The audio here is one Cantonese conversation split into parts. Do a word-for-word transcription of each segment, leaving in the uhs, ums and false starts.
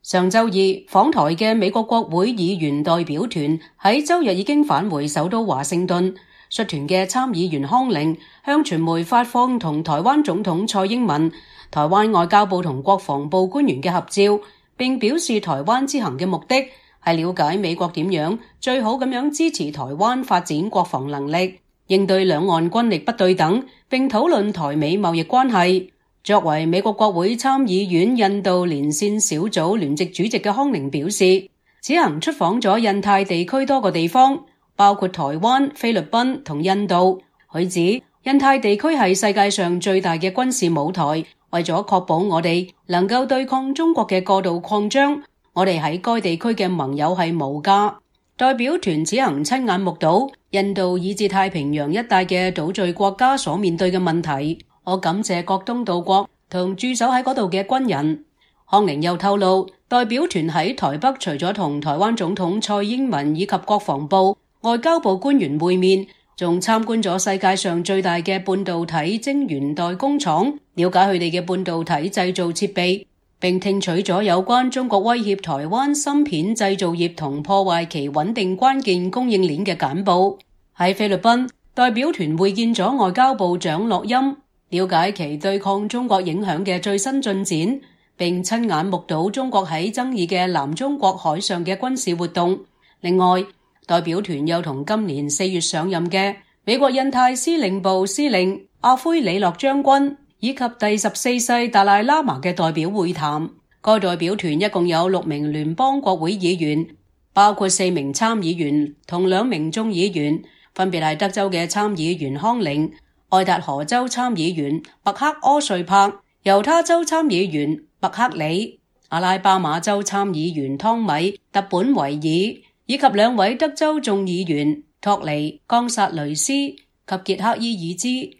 上週二訪台嘅美國國會議員代表團喺週日已經返回首都華盛頓。率團嘅參議員康寧向傳媒發放同台灣總統蔡英文、台灣外交部同國防部官員嘅合照，並表示台灣之行嘅目的係了解美國點樣最好咁樣支持台灣發展國防能力，應對兩岸軍力不對等，並討論台美貿易關係。作為美國國會參議院印度連線小組聯席主席嘅康寧表示，此行出訪咗印太地區多個地方，包括台灣、菲律賓同印度。佢指印太地區係世界上最大嘅軍事舞台，為咗確保我哋能夠對抗中國嘅過度擴張，我哋喺該地區嘅盟友係無價。代表團此行親眼目睹印度以至太平洋一帶嘅島嶼國家所面對嘅問題。我感謝各東道國同駐守喺嗰度嘅軍人。康寧又透露，代表團喺台北除咗同台灣總統蔡英文以及國防部、外交部官員會面，仲參觀咗世界上最大嘅半導體晶圓代工廠，了解佢哋嘅半導體製造設備，並聽取咗有關中國威脅台灣芯片製造業同破壞其穩定關鍵供應鏈嘅簡報。喺菲律賓，代表團會見咗外交部長洛欽，了解其對抗中國影響嘅最新進展，並親眼目睹中國喺爭議嘅南中國海上嘅軍事活動。另外，代表團又同今年四月上任嘅美國印太司令部司令阿奎里諾將軍以及第十四世達賴喇嘛嘅代表會談。該代表團一共有六名聯邦國會議員，包括四名參議員同兩名眾議員，分別係德州嘅參議員康寧、愛達荷州參議員麥克柯瑞柏、猶他州參議員麥克里、阿拉巴馬州參議員湯米特本維爾，以及兩位德州眾議員托尼岡薩雷斯及傑克伊爾茲。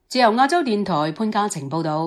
自由亞洲電台潘嘉晴報道。